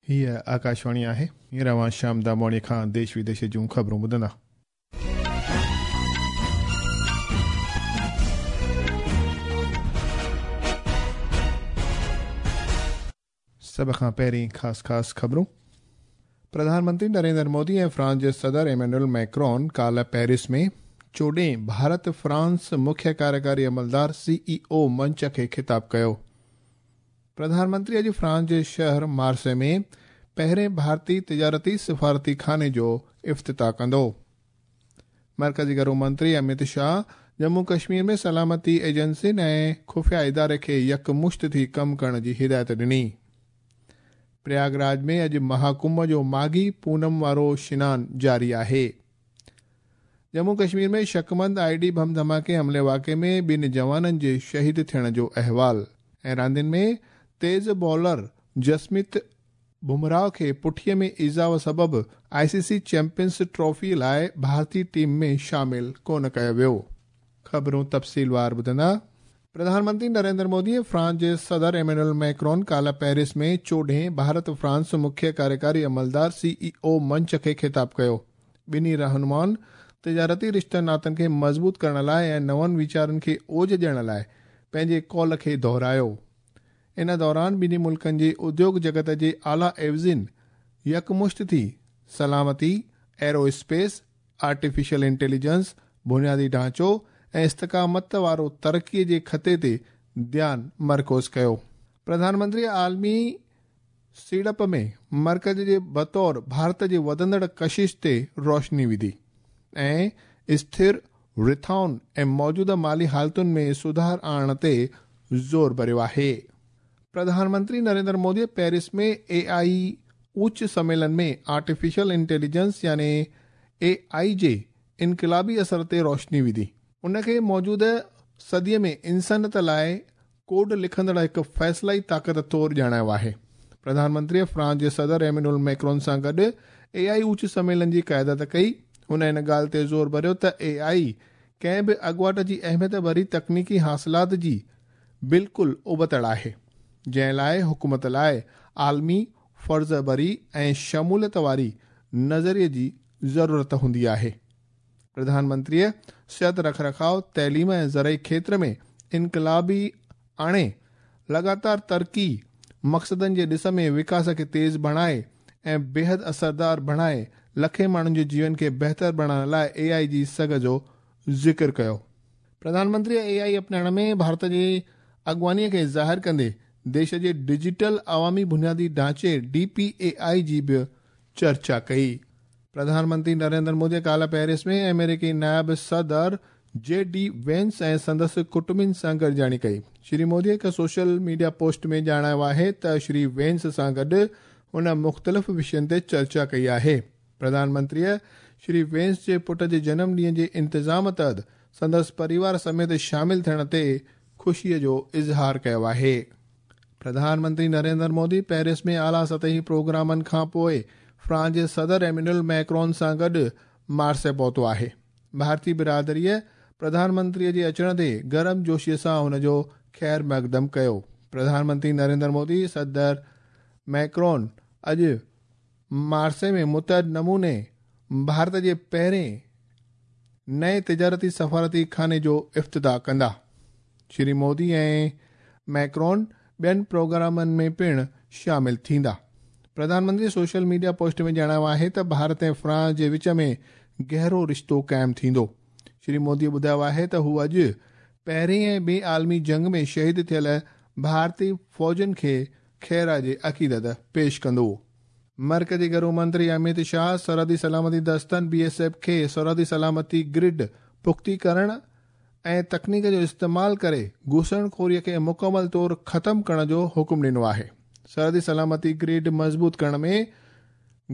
هيء آڪاشواڻي آهي. هينئر اوهان شام دامواڻيء کان ديش وديش جون خبرون ٻڌندا. سڀ کان پهرين خاص خاص خبرون. پرڌان منتري نريندر مودي ۽ فرانس جي صدر ايمينوئل ميڪرون ڪالهه پيرس ۾ چوڏهين ڀارت فرانس مکيه ڪاريڪاري عملدار، سي اي او، منچ کي خطاب ڪيو. پرڌان منتري اڄ فرانس جي شهر مارسي ۾ پهرين ڀارتي تجارتي سفارتي خاني جو افتتاح ڪندو. مرڪزي گهرو منتري اميت شاهه ڄمون ڪشمير ۾ سلامتي ايجنسين ۽ خفيه اداري کي يڪمشت ٿي ڪم ڪرڻ جي هدايت ڏني. پرياگ راج ۾ اڄ مها ڪنڀ جو ماگهي پونم وارو شنان جاري آهي. Jammu Kashmir ۾ شڪمند I D bomb ڌماڪي حملي واقعي ۾ ٻن جوانن جي شهيد ٿيڻ جو احوال ۽ راندين ۾ تيز بالر جسميت بمراهه کي پٺيء ۾ ايذاء سبب آء سي سي چيمپيئنز ٽرافي لاء ڀارتي ٽيم ۾ شامل ڪونه ڪيو ويو. خبرون تفصيلوار ٻڌندا. پرڌان منتري نريندر مودي ۽ فرانس جي صدر ايمينوئل ميڪرون ڪالهه پيرس ۾ چوڏهين ڀارت فرانس مکيه ڪاريڪاري عملدار، سي اي او، منچ کي خطاب ڪيو. ٻنهي رهنمائن تجارتي رشتن ناتن کي مضبوط ڪرڻ لاء ۽ نون ويچارن کي اوج ڏيڻ لاء پنهنجي قول کي دهرايو. ان دوران ٻنهي ملڪن جي اديوڳ جڳت جي اعليٰ عيوضين يڪمشت ٿي سلامتي، ايرو اسپيس، آرٽيفيشل انٽيليجنس، بنيادي ڍانچو ۽ استقامت وارو ترقي جي خطي تي ڌيان مرڪوز ڪيو. پرڌان منتري عالمي سيڙپ ۾ مرڪز جي بطور ڀارت جي وڌندڙ ڪشش تي روشني وڌي ۽ اسٿر رٿائن ۽ موجوده مالي حالتن ۾ سڌار آڻڻ تي زور ڀريو آهي. پرڌان منتري نريندر مودي پيرس ۾ اي آء اوچ سميلن ۾ آرٽيفيشل انٽيليجنس يعني اي آء جي انقلابي اثر تي روشني وڌي. ان کي موجوده صديء ۾ انسانيت لاء ڪوڊ لکندڙ هڪ فيصلائي طاقت طور ڄاڻايو آهي. پرڌان منتريء فرانس جي صدر ايمينوئل ميڪرون سان گڏ اي آء اوچ سميلن جي قيادت ڪئي. هن ان ڳالهه تي زور ڀريو ته اي آء ڪنهن به اڳواٽ جي اهميت ڀري تڪنيڪي حاصلات جي بلڪل ابتڙ آهي، جنهن لاء حڪومت لاء عالمي، فرض ڀري ۽ شموليت واري نظريي جي ضرورت هوندي آهي. پرڌان منتريء صحت رک رکاء، تعليم ۽ زرعي کيتر ۾ انقلابي آڻي، لڳاتار ترقي مقصدن جي ڏس ۾ وڪاس کي تيز بڻائي ۽ بيحد اثردار بڻائي لکين ماڻهن جي جيون کي بهتر بڻائڻ لاء اي آء جي سگهه جو ذڪر ڪيو. پرڌان منتريء اي آء اپنائڻ ۾ ڀارت جي اڳواڻيء کي ظاهر ڪندي ديش جي ڊجيٽل عوامي بنيادي ڍانچي، ڊي پي اي آء، جي به چرچا ڪئي. پرڌان منتري نريندر مودي ڪالهه پيرس ۾ آمريڪي نائب صدر جي ڊي وينس ۽ سندس ڪٽنبن سان گڏجاڻي ڪئي. شري مودي هڪ سوشل ميڊيا پوسٽ ۾ ڄاڻايو آهي ته شري وينس سان گڏ هن مختلف وشين تي چرچا ڪئي آهي. پرڌان منتريء شري وينس جي پٽ جي جنم ڏينهن جي انتظام تحت سندس پريوار سميت شامل ٿيڻ تي خوشي جو اظهار ڪيو آهي. پرڌان منتري نريندر مودي پيرس ۾ اعليٰ سطحي پروگرامن کانپوء فرانس جي صدر ايمينوئل ميڪرون سان گڏ مارسي پهتو آهي. ڀارتي برادريء پرڌان منتري جي اچڻ تي گرم جوشيء سان هن جو خير مقدم ڪيو. پرڌان منتري نريندر مودي صدر ميڪرون اڄ مارسي ۾ متعد نموني ڀارت جي پهرين نئين تجارتي سفارتي خاني جو افتتاح ڪندا. شري مودي ۽ ميڪرون ٻين پروگرامن ۾ پڻ شامل ٿيندا. Pradhan Mantri social media post ۾ ڄاڻايو آهي ته ڀارت ۽ فرانس جي وچ ۾ گهرو رشتو قائم ٿيندو. شري مودي ٻڌايو آهي ته هو اڄ پهرين ۽ ٻي عالمي جنگ ۾ شهيد ٿيل ڀارتي فوجين کي خراج عقيدت پيش ڪندو. مرڪزي گهرو منتري اميت شاهه سرحدي سلامتي دستن، بي ايس ايف، کي سرحدي سلامتي گرڊ پختي ڪرڻ ۽ تڪنيڪ جو استعمال ڪري گهسڻخوري کي مڪمل طور ختم ڪرڻ جو حڪم ڏنو آهي. سرحدي سلامتي گرڊ مضبوط ڪرڻ ۾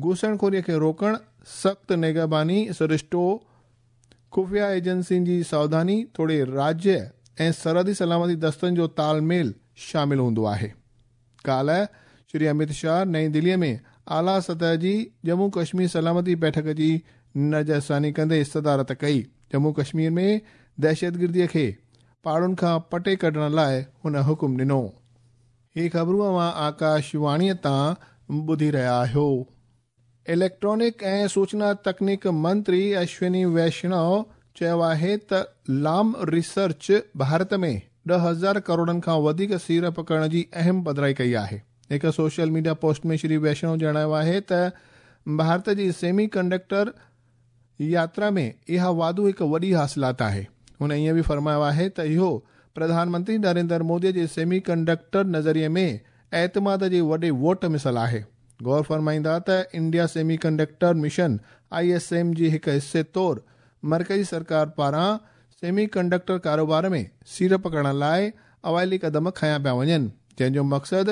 گهسڻخوري کي روڪڻ، سخت نگهباني سرشتو، خفيه ايجنسين جي ساوڌاني توڙي راجيه ۽ سرحدي سلامتي دستن جو تال ميل شامل هوندو آهي. ڪالهه شري اميت شاهه نئين دهليء ۾ اعليٰ سطح جي ڄمون ڪشمير سلامتي بيٺڪ جي نظرثاني ڪندي صدارت ڪئي. ڄمون ڪشمير ۾ دهشتگرديء کي پاڙن کان پٽي ڪڍڻ لاء هن حڪم ڏنو. هي خبرون اوهان آڪاش واڻيء تان ٻڌي رهيا آهيو. اليڪٽرانڪ ۽ سوچنا تڪنيڪ منتري اشوني ويشنو چيو آهي ته لام ريسرچ ڀارت ۾ 10,000 ڪروڙن کان وڌيڪ سيڙپ ڪرڻ جي اهم پڌرائي ڪئي آهي. هڪ social media post ۾ Shri Vaishnaw ڄاڻايو آهي ته ڀارت جي سيمي ڪنڊڪٽر ياترا ۾ اها واڌو هڪ وڏي حاصلات آهي. هن ائين به فرمايو آهي ته اهو پرڌان منتري نريندر مودي جي سيمي ڪنڊڪٽر نظريي ۾ اعتماد جي وڏي ووٽ مثل آهي. غور فرمائيندا ته India semiconductor mission I S M جي هڪ حصي طور مرڪزي سرڪار پاران سيمي ڪنڊڪٽر ڪاروبار ۾ سيڙپ ڪرڻ لاء اوائلي قدم کنيا پيا وڃن، جنهن جو مقصد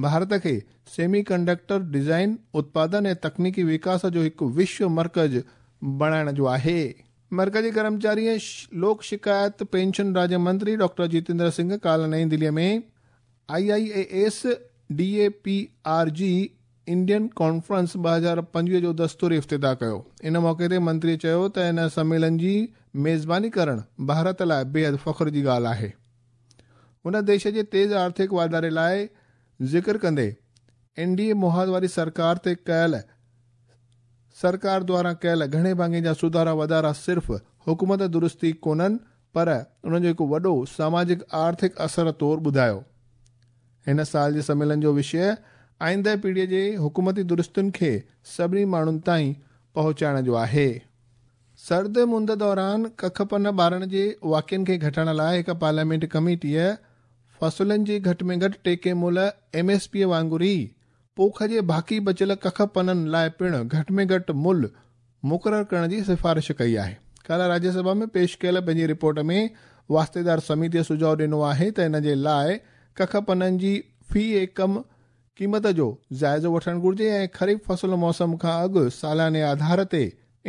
ڀارت کي سيمي ڪنڊڪٽر ڊزائن، اتپادن ۽ تڪنيڪي وڪاس جو هڪ وشو مرڪز بڻائڻ جو آهي. مرڪزي ڪرمچاري ۽ لوڪ شڪايت پينشن راجيه منتري ڊاڪٽر جتيندر سنگهه ڪالهه نئين دليء ۾ I I A S D A P R G Indian conference 2025 جو دستوري افتتاح ڪيو. ان موقعي تي منتري چيو ته ان سميلن جي ميزباني ڪرڻ ڀارت لاء بيحد فخر جي ڳالهه آهي. هن ديش جي تيز آرٿڪ واڌاري لاء ذڪر ڪندي اين ڊي اي محاذ واري سرڪار تي ڪيل سرڪار دواران ڪيل گهڻي ڀاڱي جا سڌارا واڌارا صرف حڪومت درستي ڪونهن پر انهن جو هڪ وڏو ساماجڪ آرٿڪ اثر طور ٻڌايو. هن سال جي سميلن جو وشيه آئنده پيڙهيء جي حڪومتي درستين کي سڀني ماڻهن تائين پهچائڻ جو آهي. سرد مند دوران ڪک پن ٻارڻ جي واقعن کي گهٽائڻ لاء هڪ پارليامينٽ ڪميٽيء فصلن جي گهٽ ۾ گهٽ ٽيڪي ملهه، ايم ايس پي، وانگر ئي پوک جي باقي بچيل ڪک پنن لاء پڻ گهٽ ۾ گهٽ ملهه مقرر ڪرڻ جي سفارش ڪئي آهي. ڪالهه راجيه سڀا ۾ پيش ڪيل پنهنجي رپورٽ ۾ واسطيدار سميتيء سجهاء ڏنو آهي ته ان جي لاء ڪک پنن جي في ايڪم قيمت جو جائزو وٺڻ گهرجي ۽ خريف فصل موسم کان اڳ سالياني آڌار تي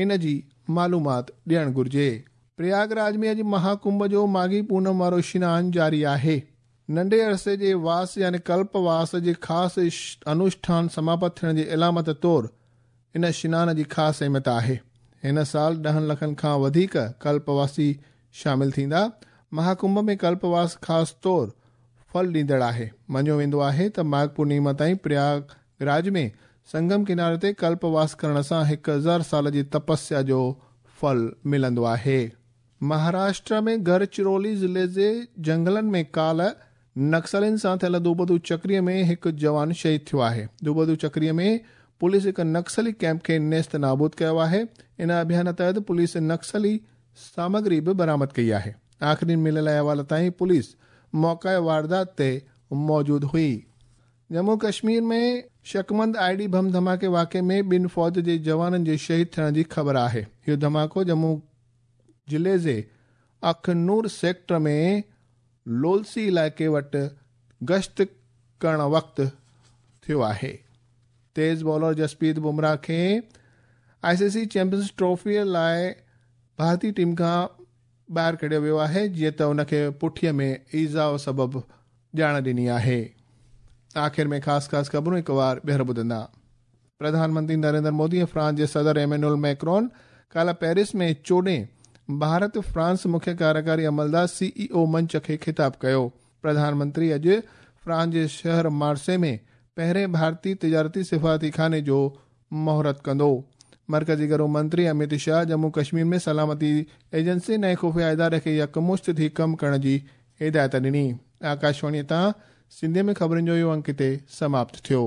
ان جي معلومات ڏيڻ گهرجي. پرياگ راج ۾ اڄ مها ڪنڀ جو ماگهي پونم وارو شنان جاري آهي. ننڍي عرصي جي واس يعني ڪلپ واس جي خاص انوشٺان سماپت ٿيڻ جي علامت طور ان شنان جي خاص اهميت آهي. هن سال ڏهن لکن کان وڌيڪ ڪلپ واسي شامل ٿيندا. مها ڪنڀ ۾ ڪلپ واس خاص طور ڦل ڏيندڙ آهي. مڃيو ويندو آهي ته ماگهه پورنيما تائين پرياگ راج ۾ سنگم ڪناري تي ڪلپ واس ڪرڻ سان 1000 سال جي تپسيا جو ڦل ملندو آهي. مهاراشٽر ۾ گڙچرولي ضلعي جي جهنگلن ۾ ڪالهه نڪسلين سان ٿيل دوبدو چڪري ۾ هڪ جوان شهيد ٿيو آهي. دوبدو چڪري ۾ پوليس هڪ نڪسلي ڪئمپ کي نيست نابود ڪيو آهي. ان اڀيان تحت پوليس نڪسلي سامگري به برآمد ڪئي آهي. آخرين مليل احوال تائين پوليس موقعي واردات تي موجود هئي. Jammu Kashmir ۾ شڪمند I D bomb ڌماڪي واقعي ۾ ٻن فوج جي جوانن جي شهيد ٿيڻ جي خبر آهي. اهو ڌماڪو ڄمون ضلعي جي اخنور سيڪٽر ۾ لولسي علائقي وٽ گشت ڪرڻ وقت ٿيو آهي. تيز بالر جسپريت بمراهه کي آء سي سي چيمپيئنز ٽرافي لاء ڀارتي ٽيم کان ٻاهر ڪڍيو ويو آهي جيئن ته ان کي پٺيء ۾ ايذاء سبب ڄاڻ ڏني آهي. آخر ۾ خاص خاص خبرون هڪ وار ٻيهر ٻڌندا. پرڌان منتري نريندر مودي ۽ فرانس جي صدر ايمينوئل ميڪرون ڪالهه پيرس ۾ چوڏهين ڀارت فرانس مکيه ڪاريڪاري عملدار سي اي او منچ کي خطاب ڪيو. پرڌان منتري اڄ فرانس جي شهر مارسي ۾ پهرين ڀارتي تجارتي سفارتي خاني جو مهورت ڪندو. مرڪزي گهرو منتري اميت شاهه ڄمون ڪشمير ۾ سلامتي ايجنسين ۽ خفيه اداري کي يڪمشت ٿي ڪم ڪرڻ جي هدايت ڏني. آڪاشواڻي تان سنڌي ۾ خبرن جو اهو انڪ هتي سماپت ٿيو.